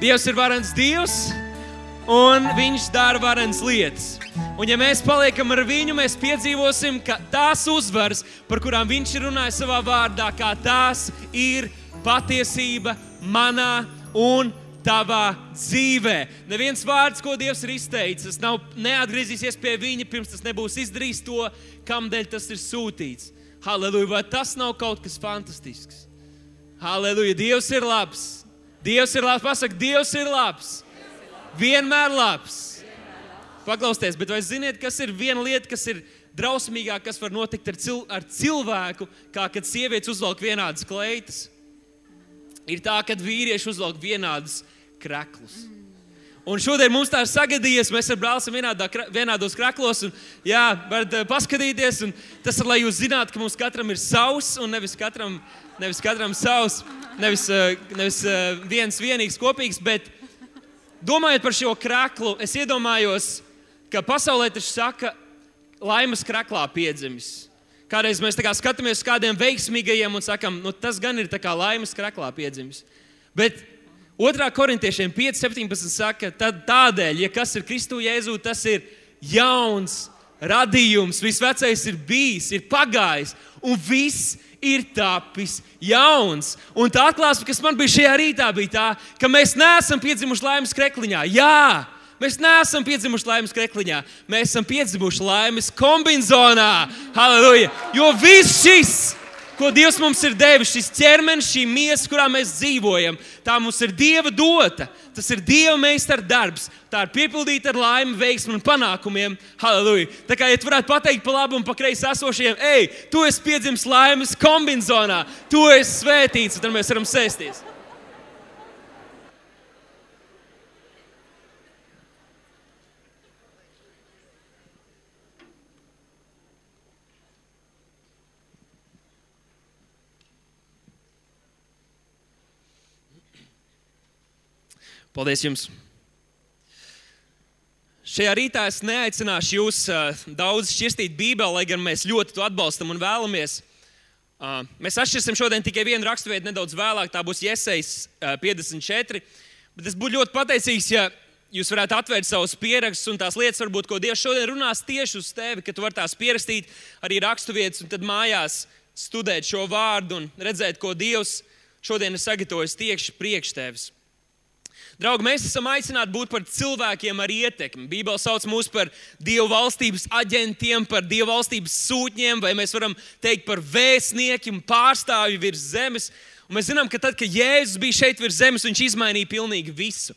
Dievs ir varens Dievs, un viņš dara varenas lietas. Un ja mēs paliekam ar viņu, mēs piedzīvosim, ka tās uzvaras, par kurām viņš ir runājis savā vārdā, kā tās ir patiesība manā un tavā dzīvē. Neviens vārds, ko Dievs ir izteicis, neatgriezīsies pie viņa, pirms tas nebūs izdarījis to, kamdēļ tas ir sūtīts. Halleluja, vai tas nav kaut kas fantastisks? Halleluja, Dievs ir labs. Dievs ir labs, pasaka, Dievs ir labs. Vienmēr labs. Paklausties, bet vai ziniet, kas ir viena lieta, kas ir drausmīgāk, kas var notikt ar cilvēku, kā kad sievietes uzvelk vienādas kleitas? Ir tā, kad vīrieši uzvelk vienādas kreklus. Un šodien mums tā ir sagadījies, mēs ar brāli esam vienādos kreklos, un jā, varat paskatīties, un tas ir, lai jūs zinātu, ka mums katram ir savs, un nevis katram savs, nevis viens vienīgs kopīgs, bet domājot par šo kreklu, es iedomājos, ka pasaulē taču saka, laimas kreklā piedzimis. Kādreiz mēs tā kā skatāmies uz kādiem veiksmīgajiem un sakam, tas gan ir tā kā laimas kreklā piedzimis. Bet 2. Korintiešiem 5:17 saka, tad tādēļ, ja kas ir Kristu Jēzū, tas ir jauns radījums, viss vecais ir bijis, ir pagājis, un viss ir tapis jauns. Un tā atklāsme, kas man bija šajā rītā, bija tā, ka mēs neesam piedzimuši laimes krekliņā. Jā, mēs neesam piedzimuši laimes krekliņā. Mēs esam piedzimuši laimes kombinzonā. Halleluja! Jo viss šis, ko Dievs mums ir devis, šis ķermenis, šī miesa, kurā mēs dzīvojam, tā mums ir Dieva dota. Tas ir Dieva meistara darbs. Tā ir piepildīta ar laimi, veiksmi un panākumiem. Halleluja! Tā kā, ja tu varētu pateikt pa labu un pa kreisi esošajiem, tu esi piedzimis laimes kombinzonā, tu esi svētīts, un tad mēs varam sēsties. Paldies jums! Šajā rītā es neaicināšu jūs daudz šķirstīt Bībeli, lai gan mēs ļoti to atbalstam un vēlamies. Mēs atšķirsim šodien tikai vienu raksturvietu nedaudz vēlāk, tā būs Jesejas 54. Bet es būtu ļoti pateicīgs, ja jūs varētu atvērt savus pierakstus un tās lietas, varbūt, ko Dievs šodien runās tieši uz tevi, ka tu vari tās pierakstīt arī raksturvietas un tad mājās studēt šo vārdu un redzēt, ko Dievs šodien ir sagatavojis tieši priekš tevis. Draugi, mēs esam aicināti būt par cilvēkiem ar ietekmi. Bībele sauc mūs par Dieva valstības aģentiem, par Dieva valstības sūtņiem, vai mēs varam teikt par vēstniekiem, pārstāvju virs zemes. Un mēs zinām, ka tad, kad Jēzus bija šeit virs zemes, viņš izmainīja pilnīgi visu.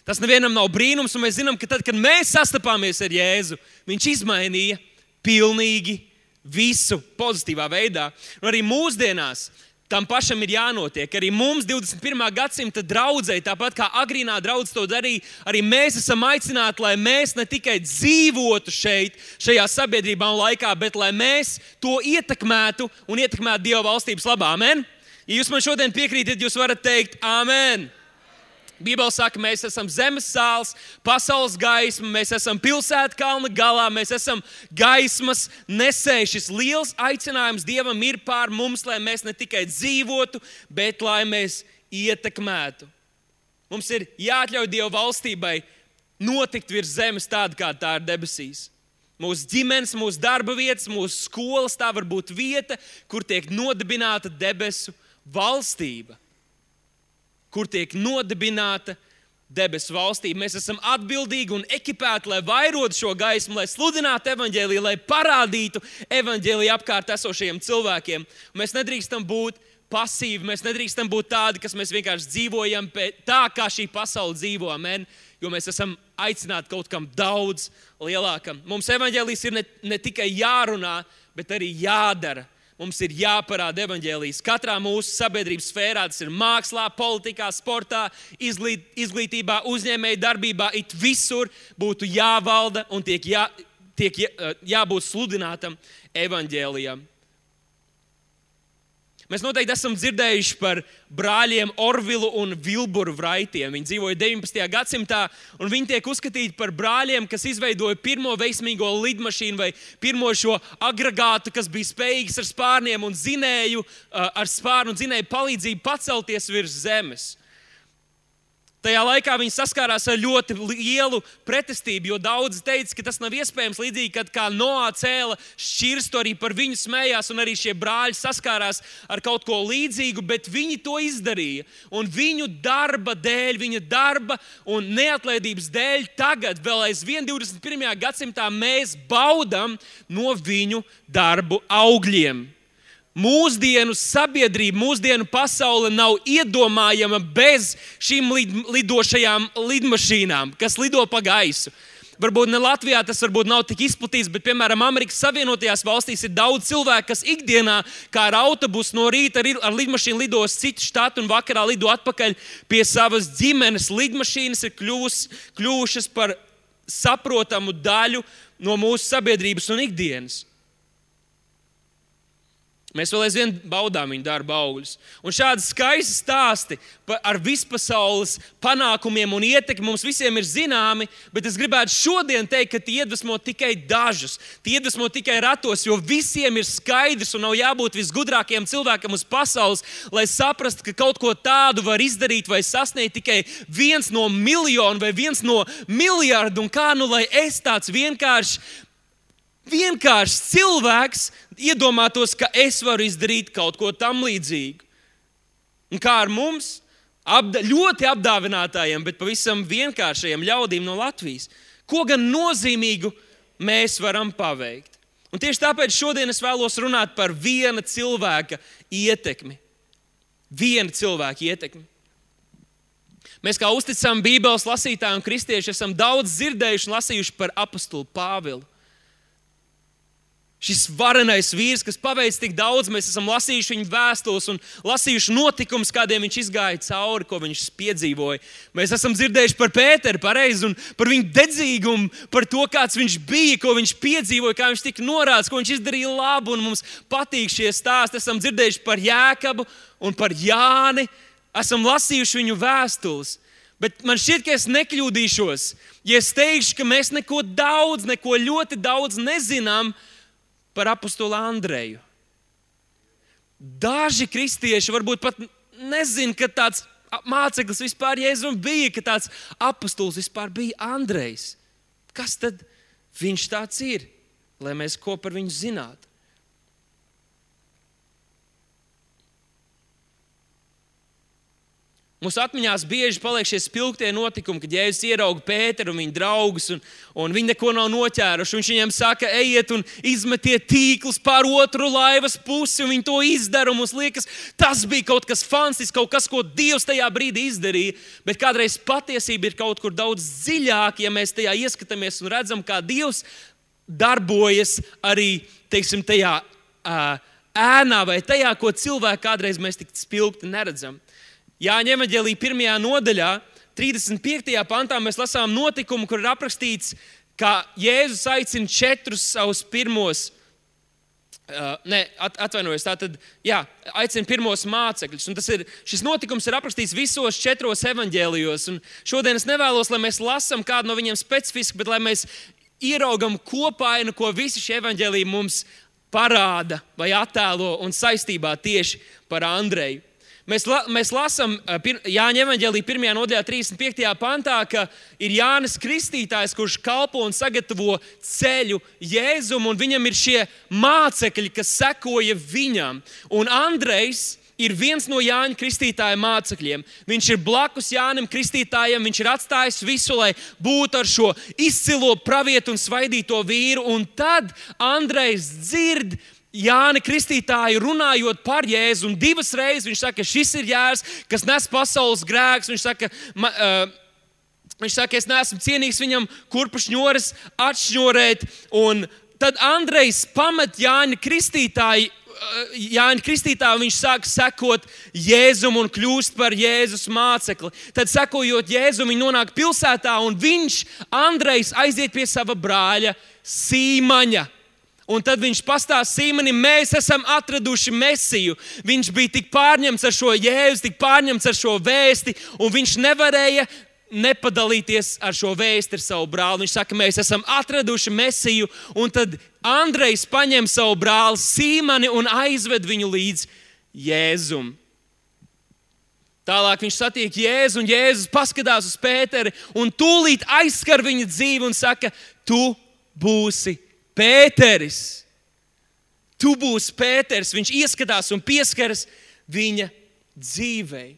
Tas nevienam nav brīnums, un mēs zinām, ka tad, kad mēs sastapāmies ar Jēzu, viņš izmainīja pilnīgi visu pozitīvā veidā. Un arī mūsdienās tam pašam ir jānotiek. Arī mums 21. gadsimta draudzei, tāpat kā agrīnā draudze to darīja, arī mēs esam aicināti, lai mēs ne tikai dzīvotu šajā sabiedrībā un laikā, bet lai mēs to ietekmētu un ietekmētu Dieva valstības labā. Amen? Ja jūs man šodien piekrītat, jūs varat teikt amen. Bībele saka, mēs esam zemes sāls, pasaules gaisma, mēs esam pilsēta kalna galā, mēs esam gaismas nesēji. Šis liels aicinājums Dievam ir pār mums, lai mēs ne tikai dzīvotu, bet lai mēs ietekmētu. Mums ir jāatļauj Dieva valstībai notikt virs zemes tāda, kā tā ir debesīs. Mūsu ģimenes, mūsu darba vietas, mūsu skolas, tā var būt vieta, kur tiek nodibināta debesu valstība. Kur tiek nodibināta debesu valstība. Mēs esam atbildīgi un ekipēti, lai vairotu šo gaismu, lai sludinātu evaņģēliju, lai parādītu evaņģēliju apkārt esošajiem cilvēkiem. Un mēs nedrīkstam būt pasīvi, mēs nedrīkstam būt tādi, kas mēs vienkārši dzīvojam tā, kā šī pasaule dzīvo, amen, jo mēs esam aicināti kaut kam daudz lielākam. Mums evaņģēlijs ir ne tikai jārunā, bet arī jādara. Mums ir jāparāda evaņģēlijs. Katrā mūsu sabiedrības sfērā, tas ir mākslā, politikā, sportā, izglītībā, uzņēmēju darbībā, it visur būtu jāvalda un jābūt sludinātam evaņģēlijam. Mēs noteikti esam dzirdējuši par brāļiem Orvilu un Vilburu Vraitiem. Viņi dzīvoja 19. gadsimtā, un viņi tiek uzskatīti par brāļiem, kas izveidoja pirmo veiksmīgo lidmašīnu vai pirmo šo agregātu, kas bija spējīgs ar spārniem un zinēju, ar spārnu un zinēju palīdzību pacelties virs zemes. Tajā laikā viņi saskārās ar ļoti lielu pretestību, jo daudzi teica, ka tas nav iespējams. Līdzīgi, kad kā Noā cēla šķirstu, arī par viņu smējās, un arī šie brāļi saskārās ar kaut ko līdzīgu, bet viņi to izdarīja. Un viņu darba dēļ, viņa darba un neatlaidības dēļ tagad, vēl aizvien 21. gadsimtā, mēs baudam no viņu darbu augļiem. Mūsdienu sabiedrība, mūsdienu pasaule nav iedomājama bez šīm lidošajām lidmašīnām, kas lido pa gaisu. Varbūt ne Latvijā tas varbūt nav tik izplatīts, bet, piemēram, Amerikas Savienotajās valstīs ir daudz cilvēku, kas ikdienā, kā ar autobusu no rīta ar lidmašīnu lido uz citu štatu un vakarā lido atpakaļ pie savas ģimenes. Lidmašīnas ir kļuvušas par saprotamu daļu no mūsu sabiedrības un ikdienas. Mēs vēl aizvien baudām viņu darba augļus. Un šādi skaisti stāsti ar vispasaules panākumiem un ietekmi mums visiem ir zināmi, bet es gribētu šodien teikt, ka tie iedvesmo tikai dažus. Tie iedvesmo tikai ratos, jo visiem ir skaidrs un nav jābūt visgudrākajam cilvēkam uz pasaules, lai saprastu, ka kaut ko tādu var izdarīt vai sasniegt tikai 1 no miljonu vai 1 no miljardu. Un kā lai es tāds vienkārši cilvēks iedomātos, ka es varu izdarīt kaut ko tam līdzīgu. Un kā ar mums, ļoti apdāvinātājiem, bet pavisam vienkāršajiem ļaudīm no Latvijas, ko gan nozīmīgu mēs varam paveikt. Un tieši tāpēc šodien es vēlos runāt par viena cilvēka ietekmi. Viena cilvēka ietekmi. Mēs kā uzticami Bībeles lasītāji un kristieši esam daudz dzirdējuši un lasījuši par apostulu Pāvilu. Šis varenais vīrs, kas paveic tik daudz, mēs esam lasījuši viņa vēstules un lasījuši notikumus, kādiem viņš izgāja cauri, ko viņš piedzīvoja. Mēs esam dzirdējuši par Pēteru, pareizi, un par viņu dedzīgumu, par to, kāds viņš bija, ko viņš piedzīvoja, kā viņš tika norādīts, ko viņš izdarīja labu, un mums patīk šie stāsti. Esam dzirdējuši par Jēkabu un par Jāni, esam lasījuši viņu vēstules. Bet man šķiet, ka es nekļūdīšos, ja es teikšu, ka mēs neko ļoti daudz nezinām par apostolu Andreju. Daži kristieši varbūt pat nezin, ka tāds māceklis vispār Jēzum bija, ka tāds apostols vispār bija Andrejs. Kas tad viņš tāds ir, lai mēs ko par viņu zinātu? Mūsu atmiņās bieži paliek šie spilgtie notikumi, kad Jēzus ierauga Pēteru un viņa draugus, un viņi neko nav noķēruši. Viņš viņiem saka, ejiet un izmetiet tīklus pār otru laivas pusi, un viņi to izdara. Mums liekas, tas bija kaut kas fantastisks, kaut kas, ko Dievs tajā brīdī izdarīja. Bet kādreiz patiesība ir kaut kur daudz dziļāk, ja mēs tajā ieskatāmies un redzam, kā Dievs darbojas arī, teiksim, tajā ēnā vai tajā, ko cilvēki kādreiz mēs tik spilgti neredzam. Jāņa evaņģēlija 1. nodaļā, 35. pantā mēs lasām notikumu, kur ir aprakstīts, ka Jēzus aicina 4 savus pirmos, aicina pirmos mācekļus. Un šis notikums ir aprakstīts visos 4 evaņģēlijos. Un šodien es nevēlos, lai mēs lasām kādu no viņiem specifiski, bet lai mēs ieraugam kopainu, ko visi šie evaņģēliji mums parāda vai attēlo un saistībā tieši par Andreju. Mēs lasām Jāņa evaņģēlija 1. nodaļā 35. pantā, ka ir Jānis Kristītājs, kurš kalpo un sagatavo ceļu Jēzum, un viņam ir šie mācekļi, kas sekoja viņam. Un Andrejs ir viens no Jāņa Kristītāja mācekļiem. Viņš ir blakus Jānim Kristītājam, viņš ir atstājis visu, lai būtu ar šo izcilo pravietu un svaidīto vīru. Un tad Andrejs dzird Jāni Kristītāju runājot par Jēzu, un 2 reizes viņš saka, šis ir Jēzus, kas nes pasaules grēkus. Viņš saka, es neesmu cienīgs viņam kurpa šņores atšņorēt. Un tad Andrejs pamet Jāni Kristītāju, viņš sāk sekot Jēzum un kļūst par Jēzus mācekli. Tad sekojot Jēzum, viņi nonāk pilsētā, un Andrejs aiziet pie sava brāļa Sīmaņa. Un tad viņš pastāsta Sīmanim, mēs esam atraduši Mesiju. Viņš bija tik pārņemts ar šo Jēzu, tik pārņemts ar šo vēsti, un viņš nevarēja nepadalīties ar šo vēsti ar savu brāli. Viņš saka, mēs esam atraduši Mesiju, un tad Andrejs paņem savu brāli Sīmani un aizved viņu līdz Jēzum. Tālāk viņš satiek Jēzu, un Jēzus paskatās uz Pēteri un tūlīt aizskar viņa dzīvi un saka, tu būsi Pēteris. Tu būsi Pēteris. Viņš ieskatās un pieskaras viņa dzīvei.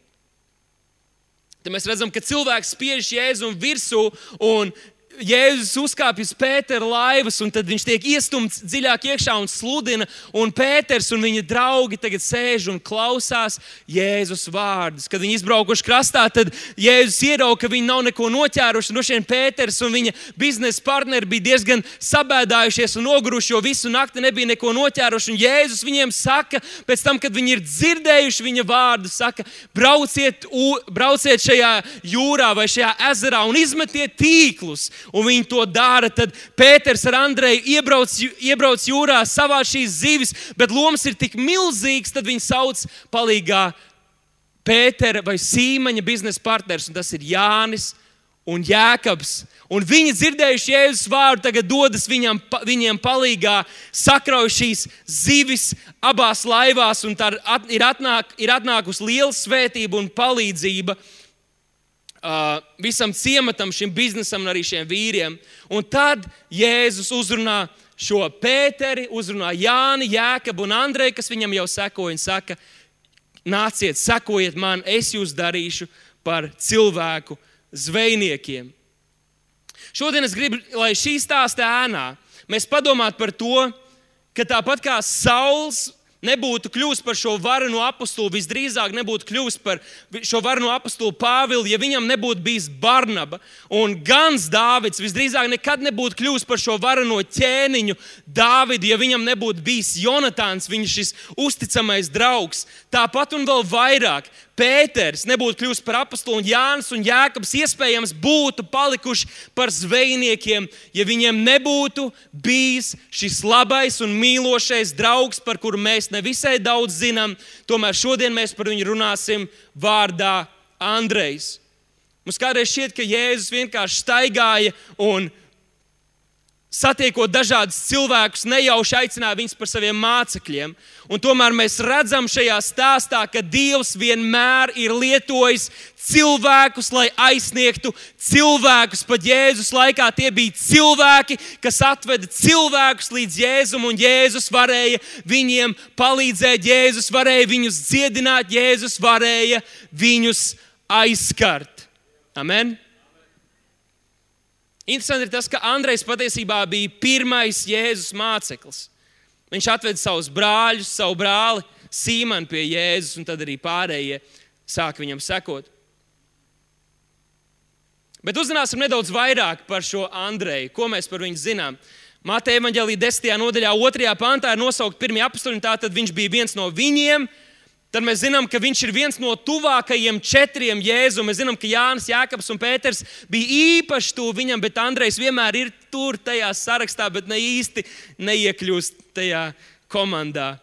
Tad mēs redzam, ka cilvēks spiež Jēzu virsū un Jēzus uzkāpj uz Pētera laivas, un tad viņš tiek iestumts dziļāk iekšā un sludina, un Pēters un viņa draugi tagad sēž un klausās Jēzus vārdus. Kad viņi izbraukuši krastā, tad Jēzus ierauga, ka viņi nav neko noķēruši. No šiem Pēters un viņa biznesa partneri bija diezgan sabēdājušies un noguruši, jo visu nakti nebija neko noķēruši. Un Jēzus viņiem saka, pēc tam, kad viņi ir dzirdējuši viņa vārdus, saka, brauciet šajā jūrā vai šajā ezerā un izmetiet tīklus. Un viņi to dara, tad Pēters ar Andreju iebrauc jūrā, savāc šīs zivis, bet lomas ir tik milzīgs, tad viņi sauc palīgā Pētera vai Sīmaņa biznesa partners, un tas ir Jānis un Jēkabs. Un viņi dzirdējuši Jēzus vārdu, tagad dodas viņiem palīgā, sakrauj šīs zivis abās laivās, un tā ir atnākusi liela svētība un palīdzība visam ciematam, šim biznesam un arī šiem vīriem. Un tad Jēzus uzrunā šo Pēteri, uzrunā Jāni, Jēkabu un Andreju, kas viņam jau sekoja un saka, nāciet, sekojiet man, es jūs darīšu par cilvēku zvejniekiem. Šodien es gribu, lai šī stāsta ēnā mēs padomātu par to, ka tāpat kā Sauls nebūtu kļuvis par šo varenu apostulu, visdrīzāk nebūtu kļuvis par šo varenu apostulu Pāvilu, ja viņam nebūtu bijis Barnaba. Un Gans Dāvids visdrīzāk nekad nebūtu kļuvis par šo vareno ķēniņu Dāvidu, ja viņam nebūtu bijis Jonatāns, viņa šis uzticamais draugs. Tāpat un vēl vairāk Pēters nebūtu kļuvis par apostulu, un Jānis un Jēkabs iespējams būtu palikuši par zvejniekiem, ja viņiem nebūtu bijis šis labais un mīlošais draugs, par kuru mēs nevisai daudz zinām. Tomēr šodien mēs par viņu runāsim vārdā Andrejs. Mums kādreiz šķiet, ka Jēzus vienkārši staigāja un satiekot dažādus cilvēkus, nejauši aicināja viņus par saviem mācekļiem. Un tomēr mēs redzam šajā stāstā, ka Dievs vienmēr ir lietojis cilvēkus, lai aizsniegtu cilvēkus. Pat Jēzus laikā tie bija cilvēki, kas atveda cilvēkus līdz Jēzum, un Jēzus varēja viņiem palīdzēt, Jēzus varēja viņus dziedināt, Jēzus varēja viņus aizskart. Amen? Interesanti ir tas, ka Andrejs patiesībā bija pirmais Jēzus māceklis. Viņš atveda savus brāļus, savu brāli Sīmanu pie Jēzus, un tad arī pārējie sāk viņam sekot. Bet uzzināsim nedaudz vairāk par šo Andreju, ko mēs par viņu zinām. Mateja evaņģēlija 10. nodaļā 2. pantā ir nosaukt pirmie apostoli, tātad viņš bija viens no viņiem. Tad mēs zinām, ka viņš ir viens no tuvākajiem 4 Jēzum. Mēs zinām, ka Jānis, Jēkabs un Pēters bija īpaši tuvu viņam, bet Andrejs vienmēr ir tur tajā sarakstā, bet ne īsti neiekļūst tajā komandā.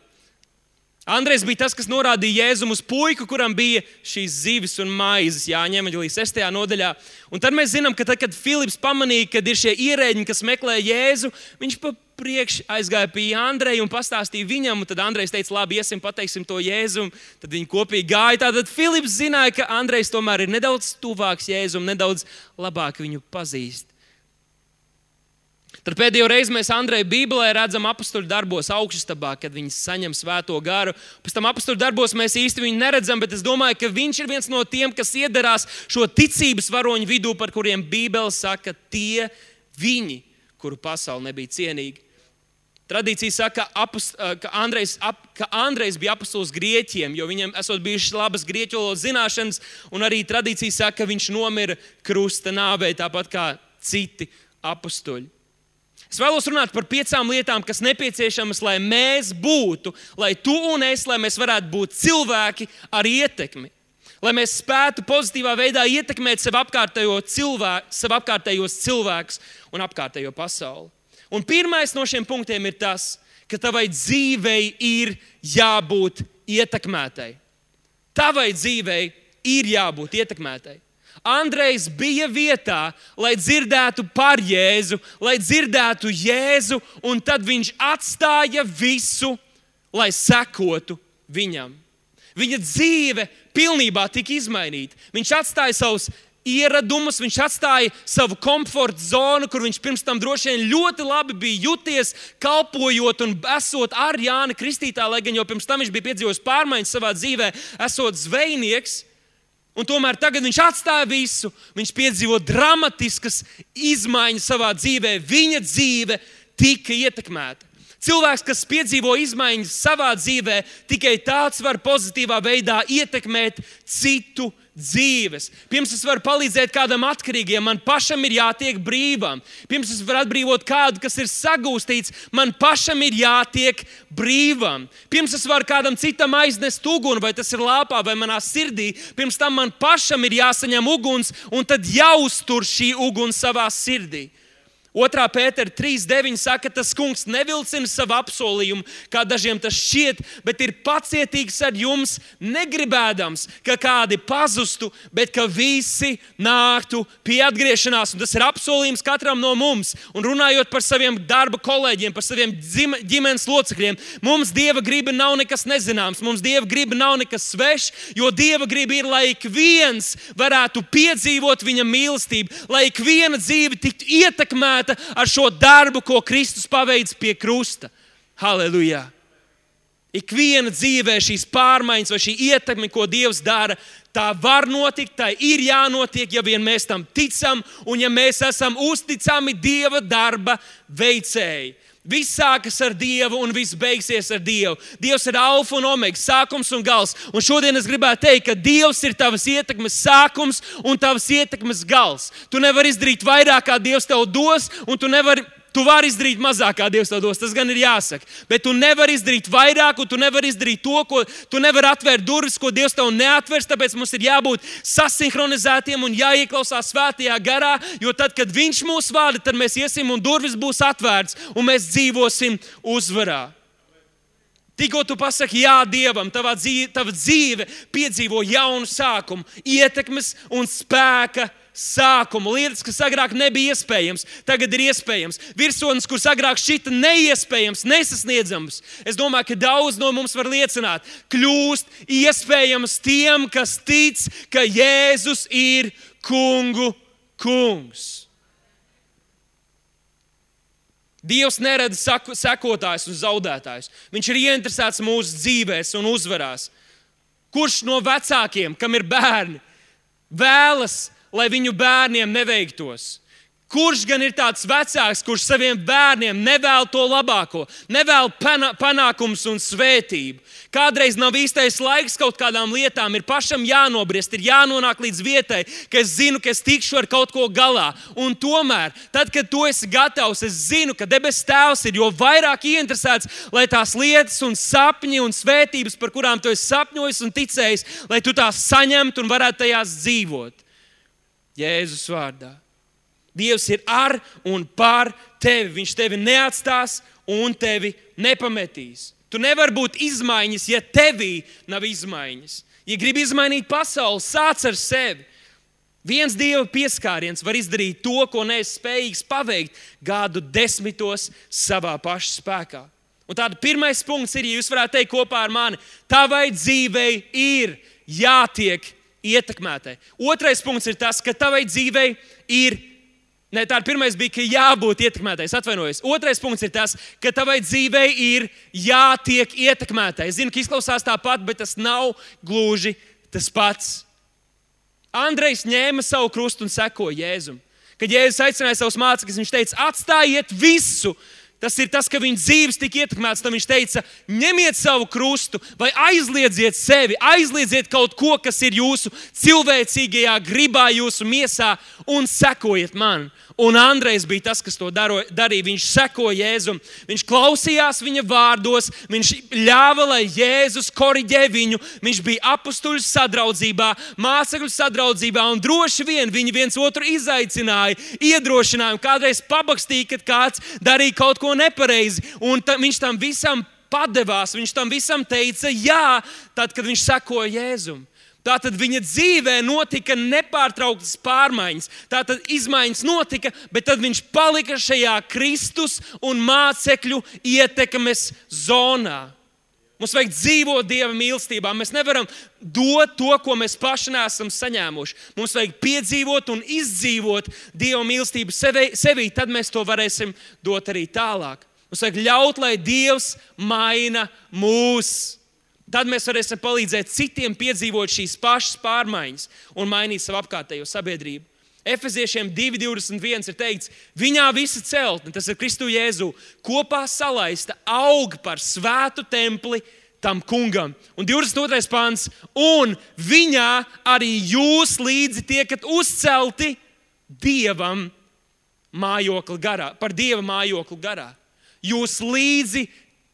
Andrejs bija tas, kas norādīja Jēzum uz puiku, kuram bija šīs zivis un maizes, Jāņa evaņģēlija 6. nodaļā. Un tad mēs zinām, ka tad, kad Filips pamanīja, kad ir šie ierēģi, kas meklē Jēzu, viņš priekš aizgāja pie Andreja un pastāstīja viņam, un tad Andrejs teica, labi, iesim, pateiksim to Jēzum. Tad viņi kopīgi gāja. Tātad Filips zināja, ka Andrejs tomēr ir nedaudz tuvāks Jēzum, nedaudz labāk viņu pazīst. Tad pēdējo reizi mēs Andreju Bībelē redzam apostļu darbos augšstabā, kad viņi saņem svēto garu. Pēc tam apostļu darbos mēs īsti viņu neredzam, bet es domāju, ka viņš ir viens no tiem, kas iedarās šo ticības varoņu vidū, par kuriem Bībele saka, tie viņi, kuru pasauli nebija cienīgi. Tradīcija saka, ka Andrejs bija apostols Grieķiem, jo viņam esot bijušas labas grieķu valodas zināšanas, un arī tradīcija saka, ka viņš nomira krusta nāvē, tāpat kā citi apostoļi. Es vēlos runāt par 5 lietām, kas nepieciešamas, lai mēs būtu, lai tu un es, lai mēs varētu būt cilvēki ar ietekmi. Lai mēs spētu pozitīvā veidā ietekmēt sev apkārtējos cilvēkus un apkārtējo pasauli. Un pirmais no šiem punktiem ir tas, ka tavai dzīvei ir jābūt ietekmētai. Tavai dzīvei ir jābūt ietekmētai. Andrejs bija vietā, lai dzirdētu par Jēzu, lai dzirdētu Jēzu, un tad viņš atstāja visu, lai sekotu viņam. Viņa dzīve pilnībā tika izmainīta. Viņš atstāja savus ieradumus, viņš atstāja savu komforta zonu, kur viņš pirms tam droši vien ļoti labi bija juties, kalpojot un esot ar Jāni Kristītāju, lai gan jau pirms tam viņš bija piedzīvojis pārmaiņas savā dzīvē, esot zvejnieks. Un tomēr tagad viņš atstāja visu, viņš piedzīvo dramatiskas izmaiņas savā dzīvē, viņa dzīve tika ietekmēta. Cilvēks, kas piedzīvo izmaiņas savā dzīvē, tikai tāds var pozitīvā veidā ietekmēt citu dzīves. Pirms es varu palīdzēt kādam atkarīgiem, man pašam ir jātiek brīvam. Pirms es varu atbrīvot kādu, kas ir sagūstīts, man pašam ir jātiek brīvam. Pirms es varu kādam citam aiznest uguni, vai tas ir lāpā vai manā sirdī, pirms tam man pašam ir jāsaņem uguns un tad jāuztur šī uguns savā sirdī. 2. Pētera 3.9 saka, tas kungs nevilcina savu apsolījumu, kā dažiem tas šķiet, bet ir pacietīgs ar jums, negribēdams, ka kādi pazustu, bet ka visi nāktu pie atgriešanās. Un tas ir apsolījums katram no mums. Un runājot par saviem darba kolēģiem, par saviem ģimenes locekļiem, mums Dieva griba nav nekas nezināms, mums Dieva griba nav nekas svešs, jo Dieva griba ir, lai ik viens varētu piedzīvot viņa mīlestību, lai ik viena dzīve tiktu ietekmēta ar šo darbu, ko Kristus paveic pie krusta. Halleluja! Ikviena dzīvē šīs pārmaiņas vai šī ietekme, ko Dievs dara, tā var notikt, tā ir jānotiek, ja vien mēs tam ticam un ja mēs esam uzticami Dieva darba veicēji. Viss sākas ar Dievu un viss beigsies ar Dievu. Dievs ir alfa un omega, sākums un gals. Un šodien es gribētu teikt, ka Dievs ir tavas ietekmes sākums un tavas ietekmes gals. Tu nevari izdarīt vairāk, kā Dievs tev dos, un tu vari izdarīt mazāk, kā Dievs tev dos. Tas gan ir jāsaka. Bet tu nevari izdarīt vairāk, un tu nevari izdarīt to, ko tu nevari atvērt durvis, ko Dievs tev neatvers. Tāpēc mums ir jābūt sasinhronizētiem un jāieklausās svētajā garā, jo tad, kad Viņš mūs vada, tad mēs iesim un durvis būs atvērts, un mēs dzīvosim uzvarā. Tikko tu pasaki jā Dievam, tava dzīve piedzīvo jaunu sākumu, ietekmes un spēka sākumu. Lietas, kas agrāk nebija iespējams, tagad ir iespējams. Virsotnes, kuras agrāk šķita neiespējams, nesasniedzams. Es domāju, ka daudz no mums var liecināt, kļūst iespējams tiem, kas tic, ka Jēzus ir kungu kungs. Dievs nerada sekotājus un zaudētājus. Viņš ir ieinteresēts mūsu dzīvēs un uzvarās. Kurš no vecākiem, kam ir bērni, vēlas, lai viņu bērniem neveiktos? Kurš gan ir tāds vecāks, kurš saviem bērniem nevēl to labāko, nevēl panākumus un svētību? Kādreiz nav īstais laiks kaut kādām lietām, ir pašam jānobriest, ir jānonāk līdz vietai, ka es zinu, ka es tikšu ar kaut ko galā. Un tomēr, tad, kad tu esi gatavs, es zinu, ka debes Tēvs ir jo vairāk ieinteresēts, lai tās lietas un sapņi un svētības, par kurām tu esi sapņojis un ticējis, lai tu tās saņemtu un varētu tajās dzīvot. Jēzus vārdā. Dievs ir ar un par tevi. Viņš tevi neatstās un tevi nepametīs. Tu nevari būt izmaiņas, ja tevī nav izmaiņas. Ja gribi izmainīt pasauli, sāc ar sevi. Viens Dieva pieskāriens var izdarīt to, ko neesi spējīgs paveikt gadu 10 savā paša spēkā. Un tāda pirmais punkts ir, ja jūs varētu teikt kopā ar mani, tavai dzīvei ir jātiek ietekmētai. Otrais punkts ir tas, ka tavai dzīvei ir pirmais bija, ka jābūt ietekmētai. Atvainojos. Otrais punkts ir tas, ka tavai dzīvei ir jātiek ietekmētai. Es zinu, ka izklausās tāpat, bet tas nav gluži tas pats. Andrejs ņēma savu krustu un sekoja Jēzum. Kad Jēzus aicināja savus mācekļus, viņš teica, atstājiet visu. Tas ir tas, ka viņa dzīves tika ietekmēts. Tad viņš teica, ņemiet savu krustu vai aizliedziet sevi, aizliedziet kaut ko, kas ir jūsu cilvēcīgajā gribā, jūsu miesā un sekojiet man. Un Andrejs bija tas, kas to darīja. Viņš sekoja Jēzum, viņš klausījās viņa vārdos, viņš ļāva, lai Jēzus koriģē viņu. Viņš bija apustuļu sadraudzībā, mācekļu sadraudzībā un droši vien viņi viens otru izaicināja, iedrošināja un kādreiz pabakstīja, kad kāds darīja kaut ko nepareizi. Un viņš tam visam padevās, viņš tam visam teica jā, tad, kad viņš sekoja Jēzum. Tātad viņa dzīvē notika nepārtrauktas pārmaiņas. Tātad izmaiņas notika, bet tad viņš palika šajā Kristus un mācekļu ietekmes zonā. Mums vajag dzīvot Dieva mīlestībā. Mēs nevaram dot to, ko mēs paši neesam saņēmuši. Mums vajag piedzīvot un izdzīvot Dieva mīlestību sevī, tad mēs to varēsim dot arī tālāk. Mums vajag ļaut, lai Dievs maina mūs. Tad mēs varēsim palīdzēt citiem piedzīvot šīs pašas pārmaiņas un mainīt savu apkārtējo sabiedrību. Efeziešiem 2:21 ir teikts, viņā visa celtne, tas ir Kristu Jēzu, kopā salaista aug par svētu templi tam kungam. Un 22. pants, un viņā arī jūs līdzi tiekat uzcelti Dievam mājokli garā, par Dieva mājokli garā. Jūs līdzi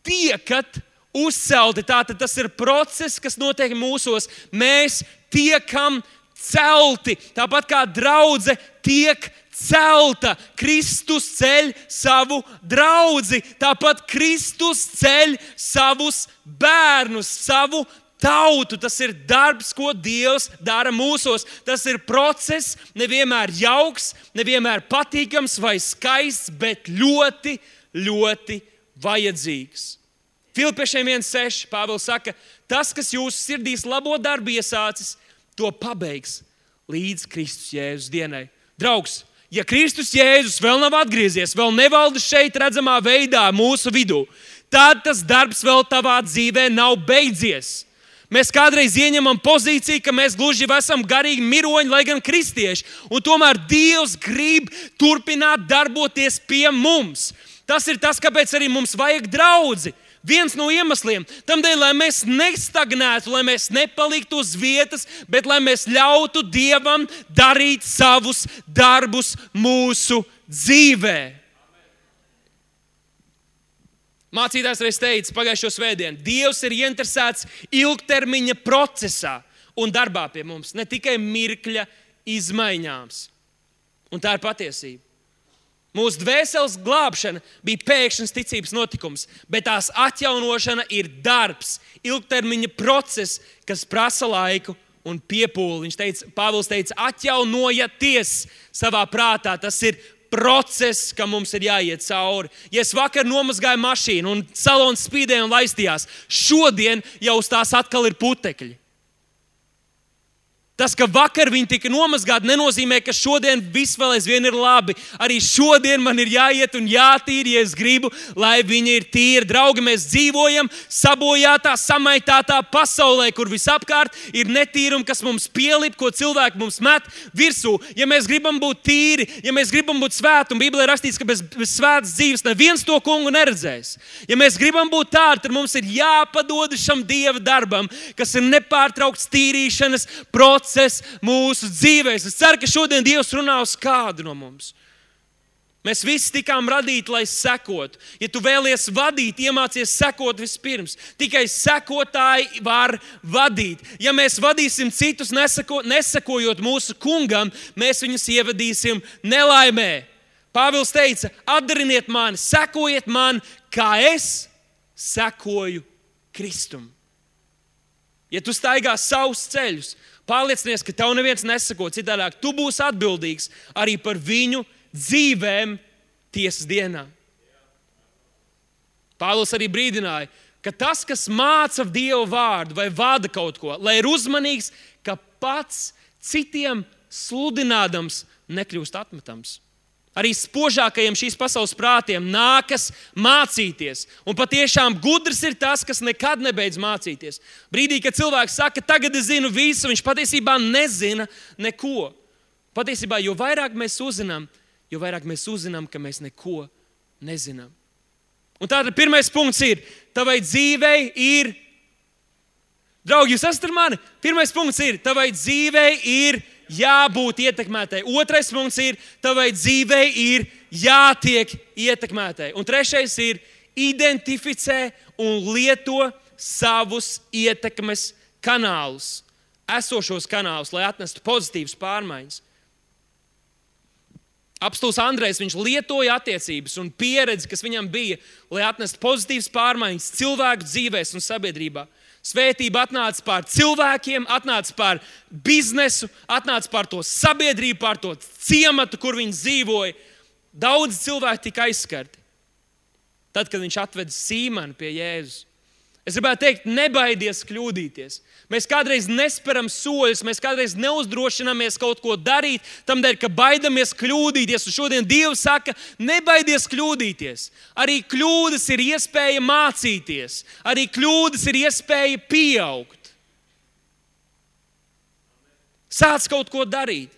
tiekat uzcelti, tātad tas ir process, kas notiek mūsos. Mēs tiekam celti, tāpat kā draudze tiek celta. Kristus ceļ savu draudzi, tāpat Kristus ceļ savus bērnus, savu tautu. Tas ir darbs, ko Dievs dara mūsos. Tas ir process, nevienmēr jauks, nevienmēr patīkams vai skaists, bet ļoti, ļoti vajadzīgs. Filipiešiem 1:6 Pāvils saka, tas, kas jūsu sirdīs labo darbu iesācis, to pabeigs līdz Kristus Jēzus dienai. Draugs, ja Kristus Jēzus vēl nav atgriezies, vēl nevalda šeit redzamā veidā mūsu vidū, tad tas darbs vēl tavā dzīvē nav beidzies. Mēs kādreiz ieņemam pozīciju, ka mēs gluži esam garīgi miroņi, lai gan kristieši, un tomēr Dievs grib turpināt darboties pie mums. Tas ir tas, kāpēc arī mums vajag draudzi. Viens no iemesliem tam dēļ, lai mēs nestagnētu, lai mēs nepaliktu uz vietas, bet lai mēs ļautu Dievam darīt savus darbus mūsu dzīvē. Mācītājs reiz teica pagājušo svētdienu, Dievs ir ieinteresēts ilgtermiņa procesā un darbā pie mums, ne tikai mirkļa izmaiņās. Un tā ir patiesība. Mūsu dvēseles glābšana bija pēkšņs ticības notikums, bet tās atjaunošana ir darbs, ilgtermiņa process, kas prasa laiku un piepūli. Pāvils teica, atjaunojieties savā prātā. Tas ir process, kam mums ir jāiet cauri. Ja es vakar nomazgāju mašīnu un salons spīdēja un laistījās, šodien jau uz tās atkal ir putekļi. Tas, ka vakar viņi tika nomazgāti, nenozīmē, ka šodien viss vēl aizvien ir labi. Arī šodien man ir jāiet un jātīra, ja es gribu, lai viņi ir tīri. Draugi, mēs dzīvojam sabojātā, samaitātā pasaulē, kur visapkārt ir netīrumi, kas mums pielip, ko cilvēki mums met virsū. Ja mēs gribam būt tīri, ja mēs gribam būt svēti, un Bībelē rakstīts, ka bez svētas dzīves neviens to kungu neredzēs. Ja mēs gribam būt tādi, tad mums ir jāpadod šam Dieva darbam, kas ir nepārtraukts tīrīšanas process mūsu dzīvēs. Es ceru, ka šodien Dievs runā uz kādu no mums. Mēs visi tikām radīti, lai sekotu. Ja tu vēlies vadīt, iemācies sekot vispirms. Tikai sekotāji var vadīt. Ja mēs vadīsim citus, nesakojot mūsu kungam, mēs viņus ievadīsim nelaimē. Pāvils teica, atdariniet mani, sekojiet man, kā es sekoju Kristum. Ja tu staigā savus ceļus, pārliecinies, ka tev neviens nesako, citādāk tu būsi atbildīgs arī par viņu dzīvēm tiesas dienā. Pāvils arī brīdināja, ka tas, kas māca Dieva vārdu vai vada kaut ko, lai ir uzmanīgs, ka pats citiem sludinādams nekļūst atmetams. Arī spožākajiem šīs pasaules prātiem nākas mācīties. Un patiešām gudrs ir tas, kas nekad nebeidz mācīties. Brīdī, kad cilvēks saka, tagad es zinu visu, viņš patiesībā nezina neko. Patiesībā, jo vairāk mēs uzzinām, ka mēs neko nezinām. Un tātad pirmais punkts ir, tavai dzīvei ir, draugi, jūs esat ar mani? Pirmais punkts ir, tavai dzīvei ir jābūt ietekmētai. Otrais punkts ir, tavai dzīvei ir jātiek ietekmētai. Un trešais ir, identificē un lieto savus ietekmes kanālus, esošos kanālus, lai atnestu pozitīvas pārmaiņas. Apostols Andrejs, viņš lietoja attiecības un pieredzi, kas viņam bija, lai atnestu pozitīvas pārmaiņas cilvēku dzīvēs un sabiedrībā. Svētība atnāca pār cilvēkiem, atnāca pār biznesu, atnāca pār to sabiedrību, pār to ciematu, kur viņi dzīvoja. Daudz cilvēki tika aizskarti. Tad, kad viņš atveda Sīmanu pie Jēzus. Es gribētu teikt, nebaidies kļūdīties. Mēs kādreiz nesperam soļus, mēs kādreiz neuzdrošināmies kaut ko darīt, tamdēļ, ka baidamies kļūdīties. Un šodien Dievs saka, nebaidies kļūdīties. Arī kļūdas ir iespēja mācīties. Arī kļūdas ir iespēja pieaugt. Sāc kaut ko darīt.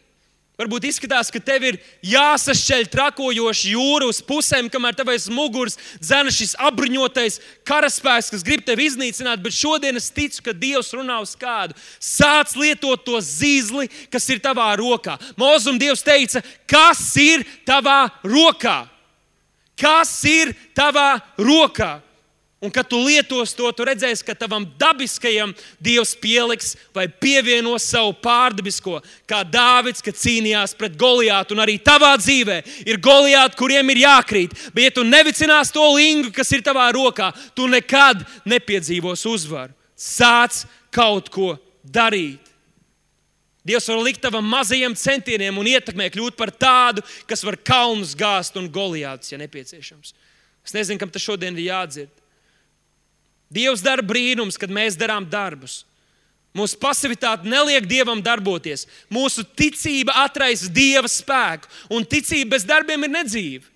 Varbūt izskatās, ka tev ir jāsašķeļ trakojoši jūra uz pusēm, kamēr tev aiz muguras dzena šis apbruņotais karaspēks, kas grib tevi iznīcināt, bet šodien es ticu, ka Dievs runā uz kādu. Sāc lietot to zīzli, kas ir tavā rokā. Mozum Dievs teica, kas ir tavā rokā? Kas ir tavā rokā? Un, kad tu lietos to, tu redzēsi, ka tavam dabiskajam Dievs pieliks vai pievienos savu pārdabisko, kā Dāvids, kad cīnījās pret Goliātu. Un arī tavā dzīvē ir Goliāti, kuriem ir jākrīt. Bet, ja tu nevicinās to lingu, kas ir tavā rokā, tu nekad nepiedzīvos uzvaru. Sāc kaut ko darīt. Dievs var likt tavam mazajiem centieniem un ietekmē kļūt par tādu, kas var kalnus gāzt un Goliātus, ja nepieciešams. Es nezinu, kam tas šodien ir jādzird. Dievs dara brīnums, kad mēs darām darbus. Mūsu pasivitāte neliek Dievam darboties. Mūsu ticība atraisa Dieva spēku, un ticība bez darbiem ir nedzīva.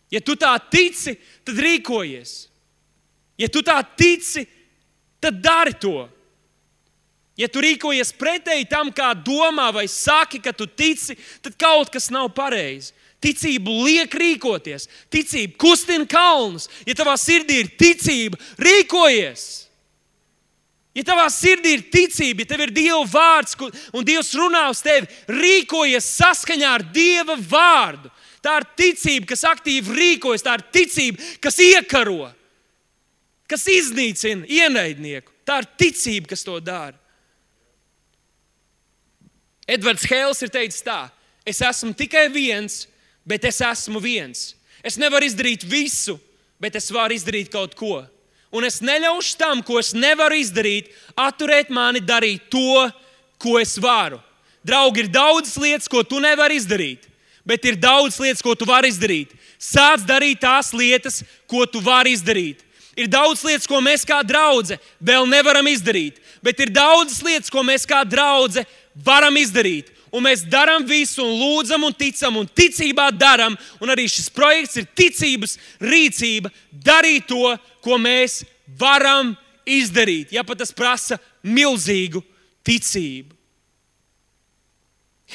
Ja tu tā tici, tad rīkojies. Ja tu tā tici, tad dari to. Ja tu rīkojies pretēji tam, kā domā vai saki, ka tu tici, tad kaut kas nav pareizi. Ticību liek rīkoties. Ticība kustina kalnus. Ja tavā sirdī ir ticība, rīkojies. Ja tavā sirdī ir ticība, ja tev ir Dieva vārds un Dievs runā uz tevi, rīkojies saskaņā ar Dieva vārdu. Tā ir ticība, kas aktīvi rīkojas. Tā ir ticība, kas iekaro, kas iznīcina ienaidnieku. Tā ir ticība, kas to dara. Edvards Hēls ir teicis tā: es esmu tikai viens, bet es esmu viens. Es nevaru izdarīt visu, bet es varu izdarīt kaut ko. Un es neļaušu tam, ko es nevaru izdarīt, atturēt mani darīt to, ko es varu. Draugi, ir daudzas lietas, ko tu nevari izdarīt, bet ir daudz lietas, ko tu vari izdarīt. Sāc darīt tās lietas, ko tu vari izdarīt. Ir daudz lietas, ko mēs kā draudze vēl nevaram izdarīt, bet ir daudzas lietas, ko mēs kā draudze varam izdarīt. Un mēs darām visu, un lūdzam, un ticam, un ticībā darām. Un arī šis projekts ir ticības rīcība, darīt to, ko mēs varam izdarīt. Ja pat tas prasa milzīgu ticību.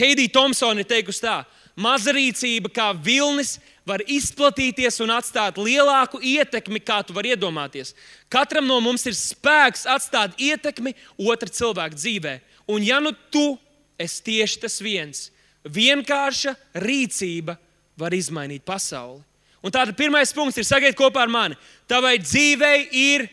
Heidija Tomsone ir teikusi tā: maza rīcība kā vilnis var izplatīties un atstāt lielāku ietekmi, kā tu vari iedomāties. Katram no mums ir spēks atstāt ietekmi otra cilvēka dzīvē. Un ja nu tu esi tieši tas viens, vienkārša rīcība var izmainīt pasauli. Un tātad pirmais punkts ir: sakiet kopā ar mani, tavai dzīvei ir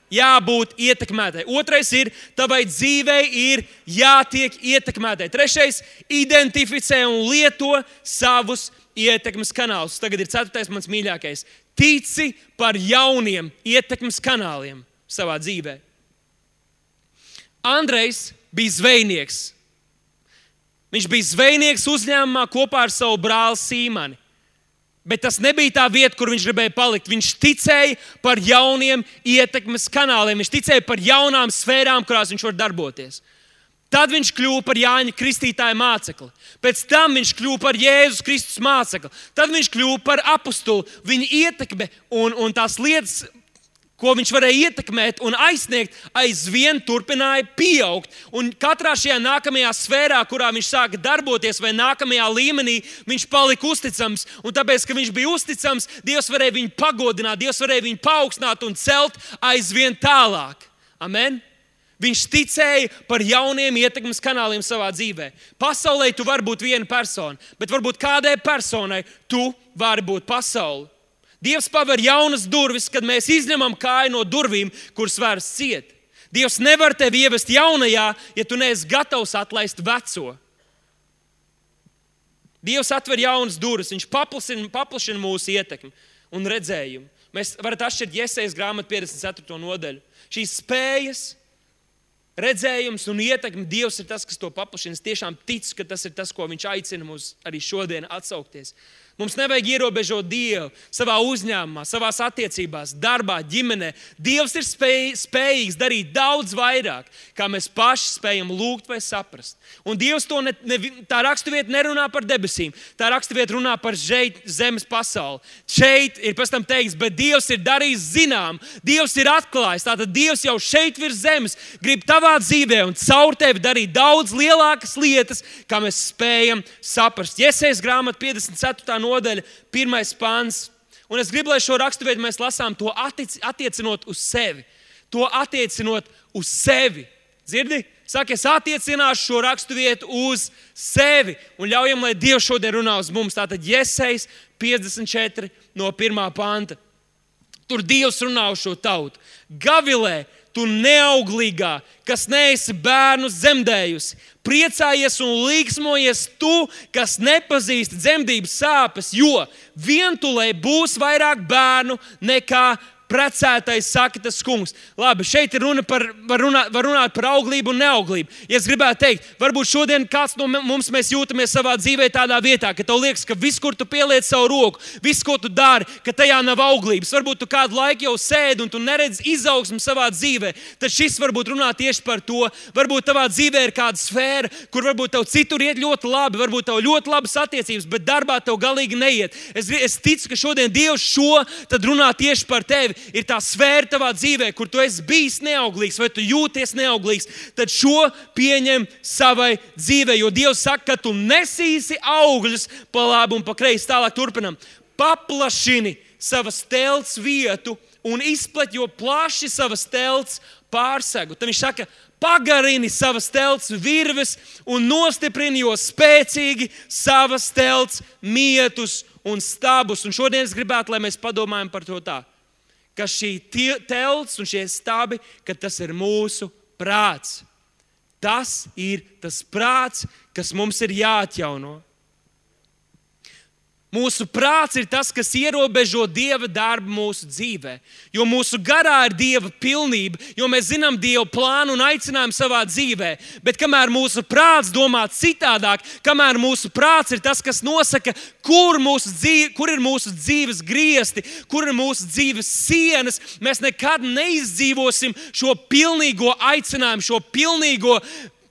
jābūt ietekmētai. Otrais ir: tavai dzīvei ir jātiek ietekmētai. Trešais: identificē un lieto savus ietekmes kanālus. Tagad ir ceturtais, mans mīļākais: tici par jauniem ietekmes kanāliem savā dzīvē. Andrejs bija zvejnieks. Viņš bija zvejnieks uzņēmumā kopā ar savu brāli Sīmani. Bet tas nebija tā vieta, kur viņš gribēja palikt. Viņš ticēja par jauniem ietekmes kanāliem. Viņš ticēja par jaunām sfērām, kurās viņš var darboties. Tad viņš kļuva par Jāņa Kristītāja mācekli. Pēc tam viņš kļuva par Jēzus Kristus mācekli. Tad viņš kļuva par apustuli. Viņa ietekme un tās lietas, ko viņš varēja ietekmēt un aizsniegt, aizvien turpināja pieaugt. Un katrā šajā nākamajā sfērā, kurā viņš sāka darboties, vai nākamajā līmenī, viņš palika uzticams. Un tāpēc, ka viņš bija uzticams, Dievs varēja viņu pagodināt, Dievs varēja viņu paaugstināt un celt aizvien tālāk. Amen? Viņš ticēja par jauniem ietekmes kanāliem savā dzīvē. Pasaulē tu vari būt viena persona, bet varbūt kādai personai tu vari būt pasauli. Dievs paver jaunas durvis, kad mēs izņemam kāju no durvīm, kuras vairs ciet. Dievs nevar tevi ievest jaunajā, ja tu neesi gatavs atlaist veco. Dievs atver jaunas durvis, viņš paplašina mūsu ietekmi un redzējumu. Mēs varam atšķirt Jesejas grāmatu 54. nodaļu. Šīs spējas, redzējums un ietekme, Dievs ir tas, kas to paplašina. Es tiešām ticu, ka tas ir tas, ko viņš aicina mūs arī šodien atsaukties. Mums nevajag ierobežot Dievu savā uzņēmumā, savās attiecībās, darbā, ģimenē. Dievs ir spējīgs darīt daudz vairāk, kā mēs paši spējam lūgt vai saprast. Un Dievs to tā raksturvieta nerunā par debesīm. Tā raksturvieta runā par zemes pasauli. Šeit ir pēc tam teikts, bet Dievs ir darījis zinām. Dievs ir atklājis. Tātad Dievs jau šeit virs zemes grib tavā dzīvē un caur tevi darīt daudz lielākas lietas, kā mēs spējam saprast. Jesejas grāmata 54. nodaļa, 1. pants. Un es gribu, lai šo raksturvietu mēs lasām to attiecinot uz sevi. To attiecinot uz sevi. Dzirdi? Saka, es attiecināšu šo raksturvietu uz sevi. Un ļaujam, lai Dievs šodien runā uz mums. Tātad Jesejas 54 no 1. panta. Tur Dievs runā uz šo tautu. Gavilē, tu neauglīgā, kas neesi bērnus dzemdējusi. Priecājies un līksmojies tu, kas nepazīsti dzemdības sāpes, jo vientulē būs vairāk bērnu nekā precētais, saka tas kungs. Labi, šeit ir runa var runāt par auglību un neauglību. Ja es gribētu teikt, varbūt šodien kāds no mums mēs jūtamies savā dzīvē tādā vietā, ka tev liekas, ka viss, kur tu pieliec savu roku, viss, ko tu dari, ka tajā nav auglības. Varbūt tu kādu laiku jau sēdi un tu neredzi izaugsmu savā dzīvē. Tad šis varbūt runā tieši par to. Varbūt tavā dzīvē ir kāda sfēra, kur varbūt tev citur iet ļoti labi, varbūt tev ļoti labas attiecības, bet darbā tev galīgi neiet. Es ticu, ka šodien Dievs šo tad runā tieši par tevi. Ir tā sfēra tavā dzīvē, kur tu esi bijis neauglīgs vai tu jūties neauglīgs, tad šo pieņem savai dzīvē, jo Dievs saka, ka tu nesīsi augļus pa labi un pa kreisi. Tālāk turpinam. Paplašini savas telts vietu un izplet, jo plaši savas telts pārsegu. Tad viņš saka, pagarini savas telts virves un nostiprini, jo spēcīgi savas telts mietus un stabus. Un šodien es gribētu, lai mēs padomājam par to tā, ka šī telts un šie stabi, ka tas ir mūsu prāts. Tas ir tas prāts, kas mums ir jāatjauno. Mūsu prāts ir tas, kas ierobežo Dieva darbu mūsu dzīvē. Jo mūsu garā ir Dieva pilnība, jo mēs zinām Dieva plānu un aicinājumu savā dzīvē. Bet kamēr mūsu prāts domā citādāk, kamēr mūsu prāts ir tas, kas nosaka, kur ir mūsu dzīves griesti, kur ir mūsu dzīves sienas, mēs nekad neizdzīvosim šo pilnīgo aicinājumu, šo pilnīgo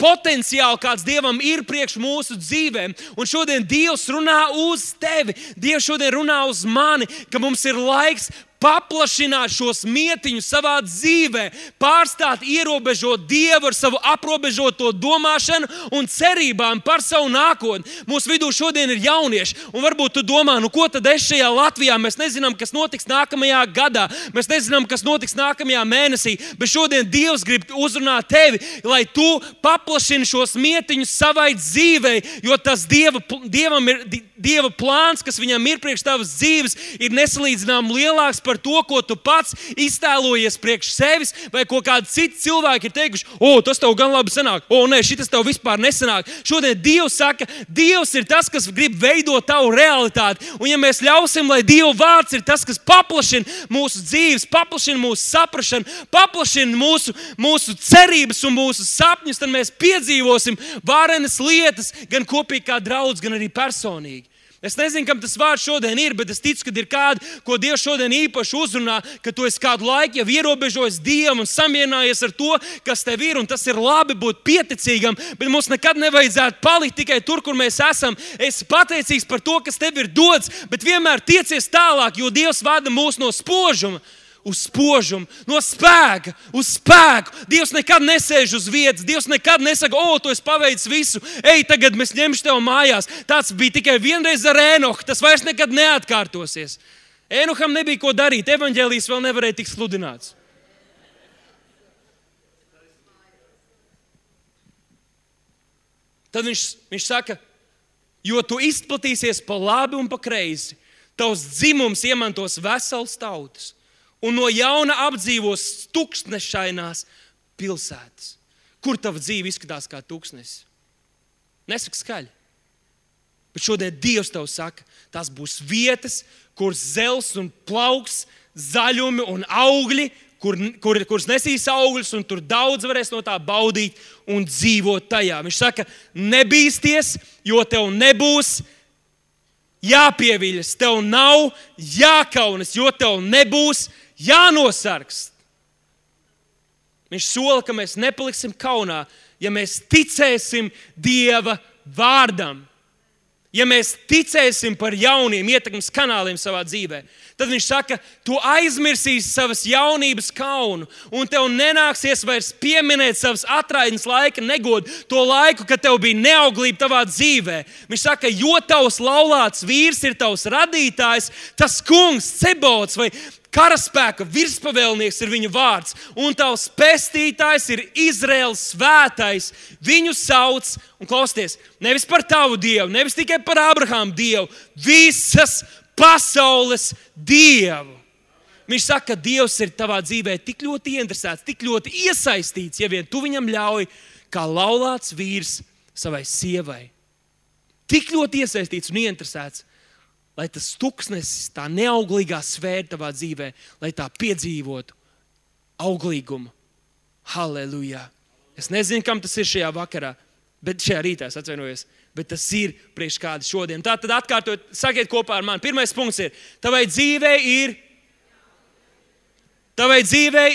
potenciāli, kāds Dievam ir priekš mūsu dzīvēm. Un šodien Dievs runā uz tevi. Dievs šodien runā uz mani, ka mums ir laiks paplašināt šos mietiņus savā dzīvē, pārstāt ierobežot Dievu ar savu aprobežoto domāšanu un cerībām par savu nākotni. Mūsu vidū šodien ir jaunieši, un varbūt tu domā, ko tad es šajā Latvijā, mēs nezinām, kas notiks nākamajā gadā, mēs nezinām, kas notiks nākamajā mēnesī, bet šodien Dievs grib uzrunāt tevi, lai tu paplašini šos mietiņus savai dzīvei, jo tas Dievam ir Dieva plāns, kas viņam ir priekš tavas dzīves, ir nesalīdzinām lielāks par to, ko tu pats iztēlojies priekš sevis, vai ko kādi citi cilvēki ir teikuši, tas tev gan labi sanāk, nē, šitas tev vispār nesanāk. Šodien Dievs saka, Dievs ir tas, kas grib veidot tavu realitāti, un ja mēs ļausim, lai Dieva vārds ir tas, kas paplašina mūsu dzīves, paplašina mūsu saprašanu, paplašina mūsu cerības un mūsu sapņus, tad mēs piedzīvosim varenas lietas, gan kopīgi kā draudz, gan arī personīgi. Es nezinu, kam tas vārds šodien ir, bet es ticu, ka ir kādi, ko Dievs šodien īpaši uzrunā, ka tu esi kādu laiku jau ierobežojis Dievu un samierinājies ar to, kas tev ir, un tas ir labi būt pieticīgam, bet mums nekad nevajadzētu palikt tikai tur, kur mēs esam. Es pateicīgs par to, kas tev ir dots, bet vienmēr tiecies tālāk, jo Dievs vada mūs no spožuma uz spožumu, no spēka uz spēku. Dievs nekad nesēž uz vietas, Dievs nekad nesaka, tu esi paveicis visu, tagad mēs ņemšu tev mājās. Tāds bija tikai vienreiz ar Ēnohu, tas vairs nekad neatkārtosies. Ēnoham nebija ko darīt, evaņģēlijs vēl nevarēja tikt sludināts. Tad viņš saka, jo tu izplatīsies pa labi un pa kreisi, tavs dzimums iemantos vesels tautas. Un no jauna apdzīvos tūkstnešainās pilsētas. Kur tava dzīve izskatās kā tūkstnesis? Nesaka skaļi. Bet šodien Dievs tev saka, tās būs vietas, kur zels un plauks, zaļumi un augļi, kuras nesīs augļus, un tur daudz varēs no tā baudīt un dzīvot tajā. Viņš saka, nebīsties, jo tev nebūs jāpieviļas, tev nav jākaunas, jo tev nebūs jānosargst. Viņš sola, ka mēs nepaliksim kaunā, ja mēs ticēsim Dieva vārdam. Ja mēs ticēsim par jauniem ietekmes kanāliem savā dzīvē, tad viņš saka, tu aizmirsīsi savas jaunības kaunu, un tev nenāksies vairs pieminēt savas atraidnes laika negodu, to laiku, kad tev bija neauglība tavā dzīvē. Viņš saka, jo tavs laulāts vīrs ir tavs radītājs, tas kungs, Cebots vai karaspēka virspavēlnieks ir viņa vārds, un tavs pestītājs ir Izraēlas svētais. Viņu sauc, un klausieties, nevis par tavu Dievu, nevis tikai par Abrahāmu Dievu, visas pasaules Dievu. Viņš saka, ka Dievs ir tavā dzīvē tik ļoti ieinteresēts, tik ļoti iesaistīts, ja vien tu viņam ļauj, kā laulāts vīrs savai sievai. Tik ļoti iesaistīts un ieinteresēts, lai tas tuksnesis, tā neauglīgā sfēra tavā dzīvē, lai tā piedzīvotu auglīgumu. Halleluja! Es nezinu, kam tas ir šajā vakarā, bet šajā rītā, es atvainojos, bet tas ir priekš kāda šodien. Tātad atkārtot, sakiet kopā ar mani. Pirmais punkts ir, tavai dzīvē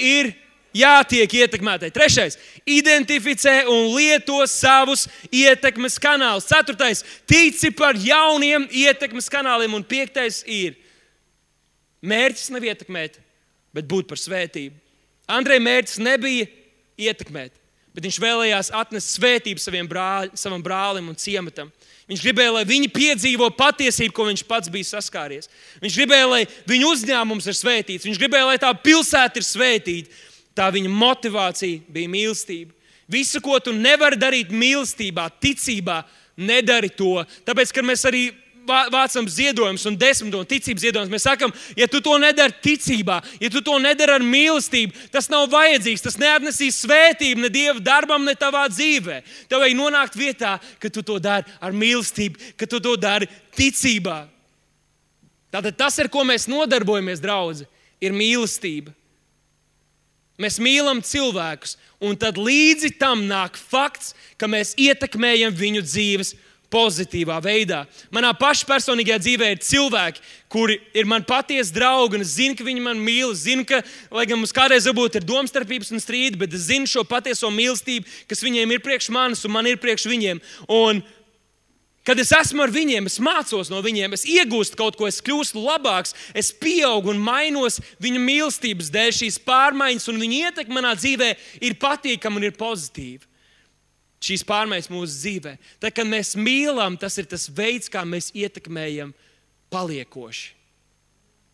ir jātiek ietekmētai. Trešais, identificē un lieto savus ietekmes kanālus. Ceturtais, tici par jauniem ietekmes kanāliem. Un piektais ir, mērķis nav ietekmēt, bet būt par svētību. Andrei mērķis nebija ietekmēt, bet viņš vēlējās atnest svētību savam brālim un ciematam. Viņš gribēja, lai viņi piedzīvo patiesību, ko viņš pats bija saskāries. Viņš gribēja, lai viņu uzņēmums ir svētīts. Viņš gribēja, lai tā pilsēta ir svētīta. Tā viņa motivācija bija mīlestība. Visu, ko tu nevari darīt mīlestībā, ticībā, nedari to. Tāpēc, kad mēs arī vācam ziedojumus un desmito un ticības ziedojumus, mēs sakam, ja tu to nedari ticībā, ja tu to nedari ar mīlestību, tas nav vajadzīgs, tas neatnesīs svētību ne Dieva darbam, ne tavā dzīvē. Tev vajag nonākt vietā, ka tu to dari ar mīlestību, ka tu to dari ticībā. Tātad tas, ar ko mēs nodarbojamies, draudzi, ir mīlestība. Mēs mīlam cilvēkus, un tad līdzi tam nāk fakts, ka mēs ietekmējam viņu dzīves pozitīvā veidā. Manā paša personīgajā dzīvē ir cilvēki, kuri ir man patiesi draugi, un es zinu, ka viņi man mīl. Es zinu, ka, lai gan mums kādreiz varbūt ir domstarpības un strīdi, bet es zinu šo patieso mīlestību, kas viņiem ir priekš manis un man ir priekš viņiem. Un kad es esmu ar viņiem, es mācos no viņiem, es iegūstu kaut ko, es kļūstu labāks, es pieaugu un mainos viņu mīlestības dēļ. Šīs pārmaiņas un viņa ietekme manā dzīvē ir patīkama un ir pozitīva. Šīs pārmaiņas mūsu dzīvē. Tad, kad mēs mīlam, tas ir tas veids, kā mēs ietekmējam paliekoši.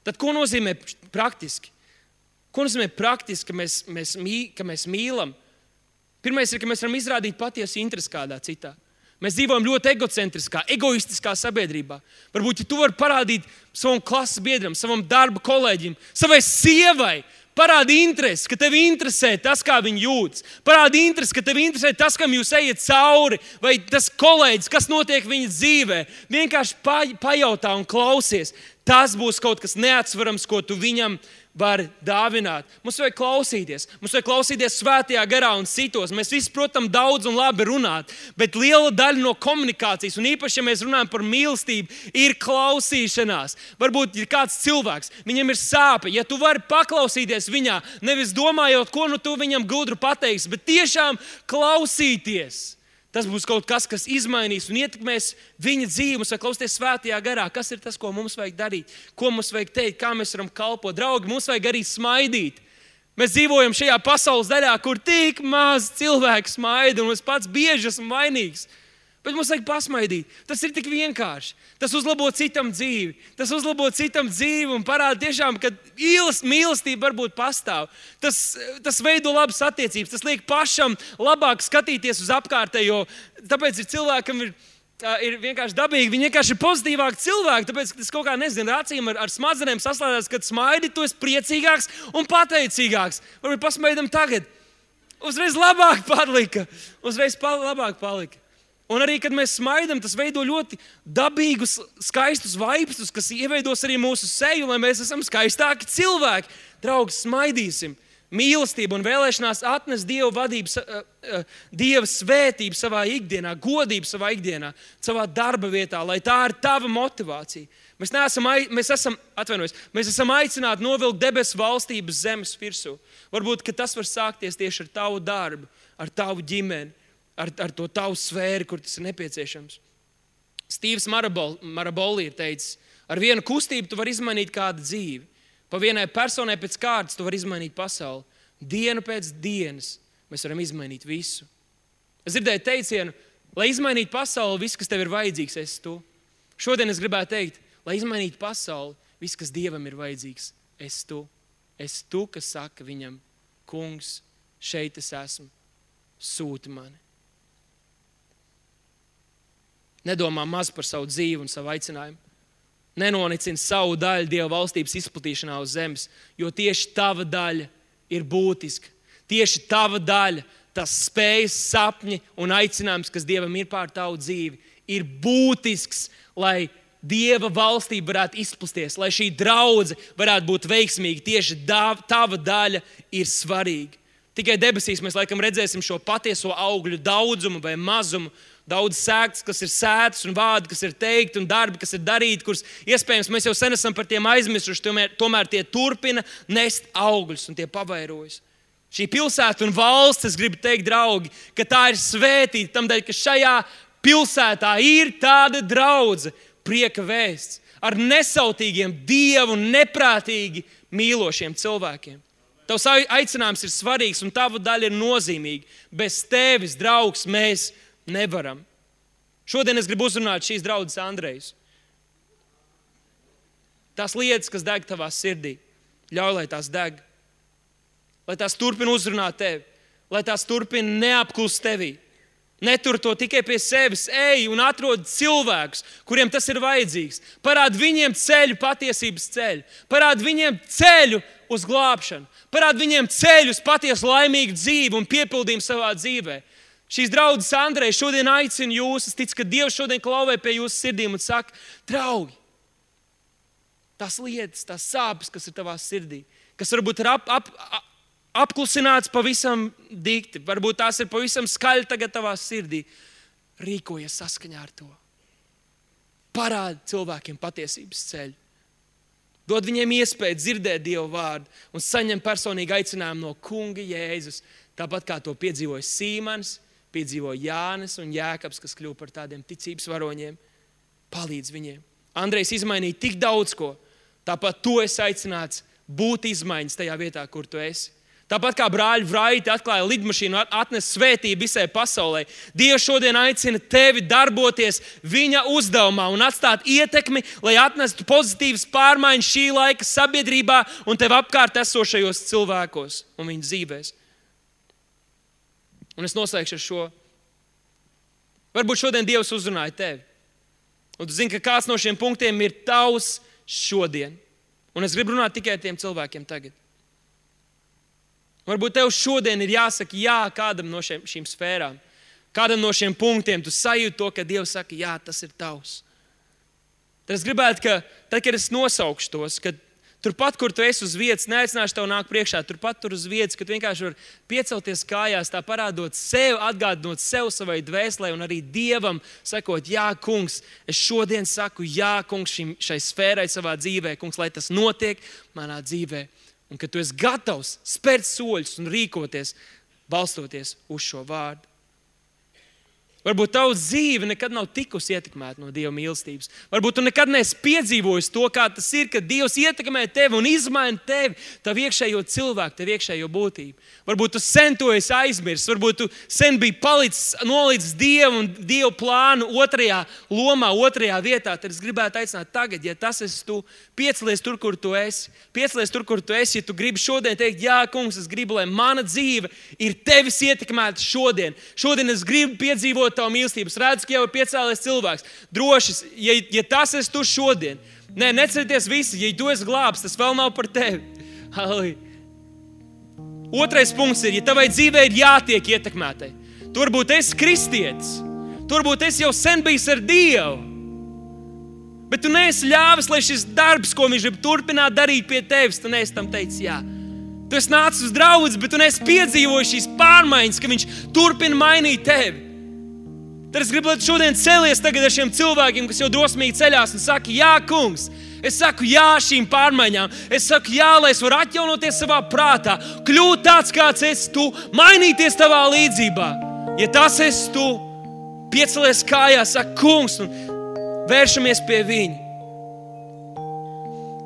Tad, ko nozīmē praktiski? Ko nozīmē praktiski, ka mēs mīlam? Pirmais ir, ka mēs varam izrādīt patiesu interesi kādā citā. Mēs dzīvojam ļoti egocentriskā, egoistiskā sabiedrībā. Varbūt, ja tu vari parādīt savam klases biedram, savam darba kolēģim, savai sievai, parādi interesi, ka tevi interesē tas, kā viņi jūtas. Parādi interesi, ka tevi interesē tas, kam jūs ejat cauri, vai tas kolēģis, kas notiek viņa dzīvē. Vienkārši pajautā un klausies. Tas būs kaut kas neatsverams, ko tu viņam var dāvināt. Mums vajag klausīties svētajā garā un citos. Mēs visi, protams, daudz un labi runāt, bet liela daļa no komunikācijas, un īpaši, ja mēs runājam par mīlestību, ir klausīšanās. Varbūt ir kāds cilvēks, viņam ir sāpe. Ja tu vari paklausīties viņā, nevis domājot, ko nu tu viņam gudru pateiksi, bet tiešām klausīties. Tas būs kaut kas, kas izmainīs un ietekmēs viņa dzīvi. Mums vajag klausīties svētajā garā. Kas ir tas, ko mums vajag darīt? Ko mums vajag teikt? Kā mēs varam kalpot? Draugi, mums vajag arī smaidīt. Mēs dzīvojam šajā pasaules daļā, kur tik maz cilvēku smaida, un es pats bieži esmu vainīgs. Bet mums vajag pasmaidīt. Tas ir tik vienkārši. Tas uzlabo citam dzīvi. Un parāda tiešām, ka mīlestība varbūt pastāv. Tas veido labas attiecības. Tas liek pašam labāk skatīties uz apkārtējo. Tāpēc ir cilvēkam ir vienkārši dabīgi. Viņi vienkārši ir pozitīvāki cilvēki. Tāpēc tas kaut kā, nezinu, acīm ar smadzenēm saslēdzās, kad smaidi, tu esi priecīgāks un pateicīgāks. Varbūt pasmaidam tagad. Uzreiz labāk palika. Un arī, kad mēs smaidam, tas veido ļoti dabīgus, skaistus vaipstus, kas ieveidos arī mūsu seju, lai mēs esam skaistāki cilvēki. Draugi, smaidīsim. mīlestība un vēlēšanās atnest Dieva vadību, Dieva svētību savā ikdienā, godību savā ikdienā, savā darba vietā, lai tā ir tava motivācija. Mēs esam aicināti novilkt debesu valstības zemes virsū. Varbūt, ka tas var sākties tieši ar tavu darbu, ar tavu ģimeni, ar to tavu sfēru, kur tas ir nepieciešams. Stīvs Maraboli ir teicis, ar vienu kustību tu vari izmainīt kādu dzīvi. Pa vienai personai pēc kārtas tu vari izmainīt pasauli. Dienu pēc dienas mēs varam izmainīt visu. Es dzirdēju teicienu, lai izmainītu pasauli, viss, kas tev ir vajadzīgs, esi tu. Šodien es gribētu teikt, lai izmainītu pasauli, viss, kas Dievam ir vajadzīgs, esi tu. Esi tu, kas saka viņam, kungs, šeit es esmu, sūti mani. Nedomā maz par savu dzīvi un savu aicinājumu. Nenonicini savu daļu Dieva valstības izplatīšanā uz zemes, jo tieši tava daļa ir būtiska. Tieši tava daļa, tas spējas, sapņi un aicinājums, kas Dievam ir pār tavu dzīvi, ir būtisks, lai Dieva valstība varētu izplasties, lai šī draudze varētu būt veiksmīga. Tieši tava daļa ir svarīga. Tikai debesīs mēs laikam redzēsim šo patieso augļu daudzumu vai mazumu, daudz sēktas, kas ir sētas un vārdi, kas ir teikti un darbi, kas ir darīti, kurus iespējams mēs jau sen esam par tiem aizmirsuši, tomēr tie turpina nest augļus un tie pavairojas. Šī pilsēta un valsts, es gribu teikt, draugi, ka tā ir svētīta tamdēļ, ka šajā pilsētā ir tāda draudze, prieka vēsts, ar nesautīgiem, Dievu neprātīgi mīlošiem cilvēkiem. Tavs aicinājums ir svarīgs un tava daļa ir nozīmīga. Bez tevis, draugs, mēs nevaram. Šodien es gribu uzrunāt šīs draudzes Andrejus. Tās lietas, kas deg tavā sirdī, ļauj, lai tās deg. Lai tās turpina uzrunāt tevi. Lai tās turpina neapklust tevī. Netur to tikai pie sevis. Ej un atrod cilvēkus, kuriem tas ir vajadzīgs. Parād viņiem ceļu, patiesības ceļu. Parād viņiem ceļu uz glābšanu. Parād viņiem ceļu uz patiesu laimīgu dzīvi un piepildījumu savā dzīvē. Šīs draudzes Andreja šodien aicina jūs. Es ticu, ka Dievs šodien klauvē pie jūsu sirdīm un saka, draugi, tās lietas, tās sāpes, kas ir tavā sirdī, kas varbūt ir apklusināts pavisam dikti, varbūt tās ir pavisam skaļi tagad tavā sirdī, rīkojies saskaņā ar to. Parādi cilvēkiem patiesības ceļu. Dod viņiem iespēju dzirdēt Dieva vārdu un saņemt personīgi aicinājumu no Kunga Jēzus, tāpat kā to piedzīvoja Sīmanis, piedzīvoja Jānis un Jēkabs, kas kļuva par tādiem ticības varoņiem. Palīdz viņiem. Andrejs izmainīja tik daudz ko. Tāpat tu esi aicināts būt izmaiņas tajā vietā, kur tu esi. Tāpat kā brāļi Vraiti atklāja lidmašīnu, atnes svētību visai pasaulē. Dievs šodien aicina tevi darboties viņa uzdevumā un atstāt ietekmi, lai atnestu pozitīvas pārmaiņas šī laika sabiedrībā un tev apkārt esošajos cilvēkos un viņu dzīvēs. Un es noslēgšu ar šo. Varbūt šodien Dievs uzrunāja tevi. Un tu zini, ka kāds no šiem punktiem ir tavs šodien. Un es gribu runāt tikai ar tiem cilvēkiem tagad. Varbūt tev šodien ir jāsaka jā kādam no šīm sfērām. Kādam no šiem punktiem tu sajūti to, ka Dievs saka, jā, tas ir tavs. Tad es gribētu, ka tad, kad es nosaukšu tos, ka turpat, kur tu esi uz vietas, neaicināšu tev nāk priekšā, turpat tur uz vietas, ka tu vienkārši vari piecelties kājās, tā parādot sev, atgādinot sev savai dvēselē un arī Dievam sakot, jā, kungs, es šodien saku, jā, kungs, šai sfērai savā dzīvē, kungs, lai tas notiek manā dzīvē. Un ka tu esi gatavs spērt soļus un rīkoties, balstoties uz šo vārdu. Varbūt tavu dzīve nekad nav tikusi ietekmēta no Dieva mīlestības. Varbūt tu nekad neesi piedzīvojis to, kā tas ir, kad Dievs ietekmē tevi un izmaina tevi, tavu iekšējo cilvēku, tavu iekšējo būtību. Varbūt tu sen to esi aizmirsis, varbūt tu sen biji nolicis Dievu un Dieva plānu otrajā lomā, otrajā vietā. Tad es gribētu aicināt tagad, ja tas esi tu, piecelies tur, kur tu esi. Piecelies tur, kur tu esi, ja tu gribi šodien teikt, jā, kungs, es gribu, lai mana dzīve ir tevis ietekmēta šodien. Šodien es gribu piedzīvot tavu mīlestības. Redzu, ka jau ir piecēlies cilvēks. Droši, ja tas esi tu šodien, necerieties visi, ja tu esi glābs, tas vēl nav par tevi. Halleluja. Otrais punkts ir, ja tavai dzīvē ir jātiek ietekmētai. Tu varbūt esi kristietis. Tu varbūt esi jau sen bijis ar Dievu. Bet tu neesi ļāvis, lai šis darbs, ko viņš grib turpināt darīt pie tevis, tu neesi tam teicis jā. Tu esi nācis uz draudzi, bet tu neesi piedzīvojis šīs pārmaiņas, ka viņš turpina mainīt tevi. Tad es gribu, lai tu šodien celies tagad ar šiem cilvēkiem, kas jau drosmīgi ceļās un saka, jā, kungs, es saku jā šīm pārmaiņām. Es saku jā, lai es varu atjaunoties savā prātā, kļūt tāds, kāds esi tu, mainīties tavā līdzībā. Ja tas esi tu, piecelies kājās, saka, kungs, un vēršamies pie viņa.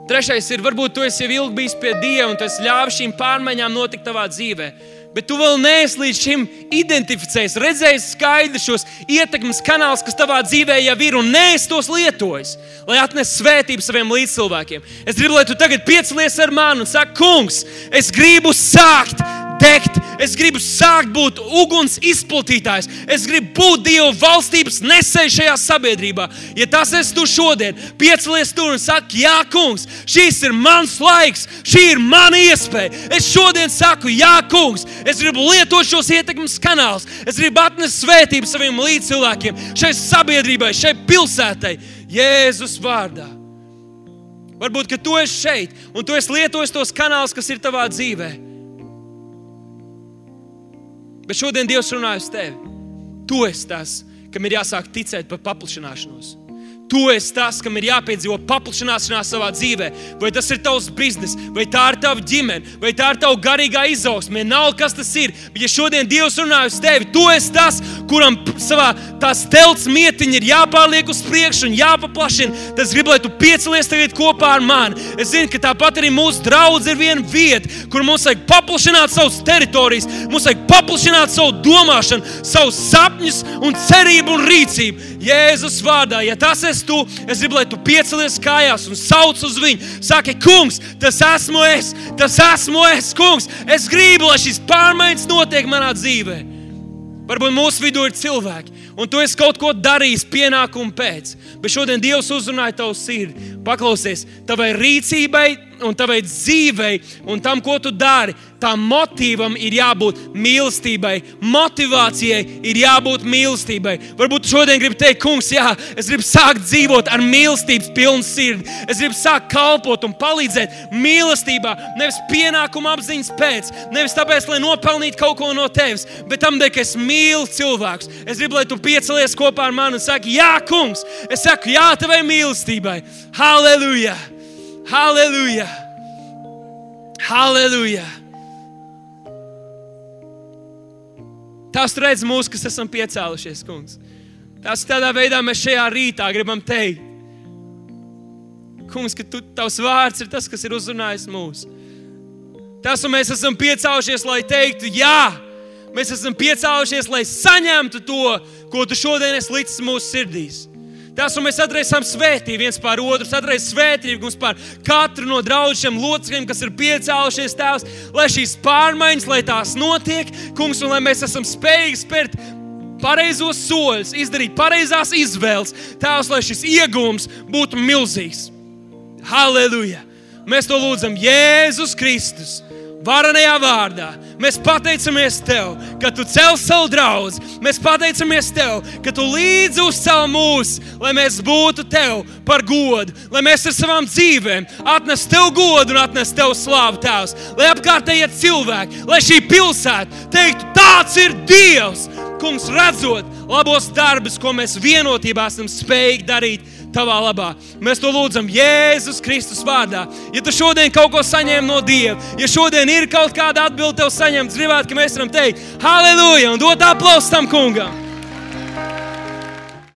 Trešais ir, varbūt tu esi jau ilgi bijis pie Dieva un tu esi ļāvis šīm pārmaiņām notikt tavā dzīvē. Bet tu vēl neesi līdz šim identificējis, redzējis skaidri šos ietekmes kanālus, kas tavā dzīvē jau ir un neesi tos lietojis, lai atnes svētību saviem līdzcilvēkiem. Es gribu, lai tu tagad piecelies ar mani un saki, kungs, es gribu sākt degt, es gribu sākt būt uguns izplatītājs, es gribu būt Dieva valstības nesējs šajā sabiedrībā. Ja tas esi tu šodien, piecelies tur un saki, jā, kungs, šis ir mans laiks, šī ir mana iespēja. Es šodien saku, jā, kungs, es gribu lietot šos ietekmes kanālus, es gribu atnest svētību saviem līdzcilvēkiem, šai sabiedrībai, šai pilsētai, Jēzus vārdā. Varbūt, ka tu esi šeit un tu esi lietojis tos kanālus, kas ir tavā dzīvē. Bet šodien Dievs runāja uz tevi. Tu esi tas, kam ir jāsāk ticēt par paplašināšanos. Tu esi tas, kam ir jāpiedzīvo paplašināšanās savā dzīvē. Vai tas ir tavs biznes, vai tā ir tava ģimene, vai tā ir tava garīgā izaugsme. Vienalga, kas tas ir. Bet ja šodien Dievs runāja uz tevi, tu esi tas, kuram savā tās telts mietiņa ir jāpārliek uz priekšu un jāpaplašina. Tas grib, lai tu piecelies tagad kopā ar mani. Es zinu, ka tāpat arī mūsu draudze ir viena vieta, kur mums vajag paplašināt savas teritorijas, mums vajag paplašināt savu domāšanu, savus sapņus un cerību un rīcību. Jēzus vārdā, ja tas esi tu, es gribu, lai tu piecelies kājās un sauc uz viņu. Saki, kungs, tas esmu es, kungs. Es gribu, lai šīs pārmaiņas notiek manā dzīvē. Varbūt mūsu vidū ir cilvēki, un tu esi kaut ko darījis pienākumu pēc. Bet šodien Dievs uzrunāja tavu sirdi. Paklausies, tavai rīcībai un tavai dzīvei un tam, ko tu dari, tam motīvam ir jābūt mīlestībai. Motivācijai ir jābūt mīlestībai. Varbūt tu šodien gribi teikt, kungs, jā, es gribu sākt dzīvot ar mīlestības pilnu sirdi. Es gribu sākt kalpot un palīdzēt mīlestībā, nevis pienākuma apziņas pēc, nevis tāpēc, lai nopelnītu kaut ko no tevis, bet tam, ka es mīlu cilvēkus. Es gribu, lai tu piecelies kopā ar mani un saki, jā, kungs, es saku jā tavai mīlestībai. Halleluja! Halleluja! Halleluja! Tās tu redz mūs, kas esam piecēlušies, kungs. Tās tādā veidā mēs šajā rītā gribam teikt. Kungs, ka tavs vārds ir tas, kas ir uzrunājis mūs. Tas, un mēs esam piecēlušies, lai teiktu jā. Mēs esam piecēlušies, lai saņemtu to, ko tu šodien esi licis mūsu sirdīs. Tas, un mēs atreisam svētību viens pār otru, atreisam svētību mums pār katru no draudžiem locekļiem, kas ir piecēlušies, Tēvs, lai šīs pārmaiņas, lai tās notiek, kungs, un lai mēs esam spējīgi spērt pareizos soļus, izdarīt pareizās izvēles, Tēvs, lai šis iegūms būtu milzīgs. Halleluja! Mēs to lūdzam Jēzus Kristus varenajā vārdā. Mēs pateicamies Tev, ka Tu cel savu draudzi. Mēs pateicamies Tev, ka Tu līdzi uzcel mūs, lai mēs būtu Tev par godu, lai mēs ar savām dzīvēm atnes Tev godu un atnes Tev slavu, Tēvs. Lai apkārtējie cilvēki, lai šī pilsēta teiktu, tāds ir Dievs, kungs, redzot labos darbus, ko mēs vienotībā esam spējīgi darīt Tavā labā. Mēs to lūdzam Jēzus Kristus vārdā. Ja tu šodien kaut ko saņem no Dieva, ja šodien ir kaut kāda atbilde tev saņemt, gribētu, ka mēs varam teikt halleluja un dot aplausu tam kungam.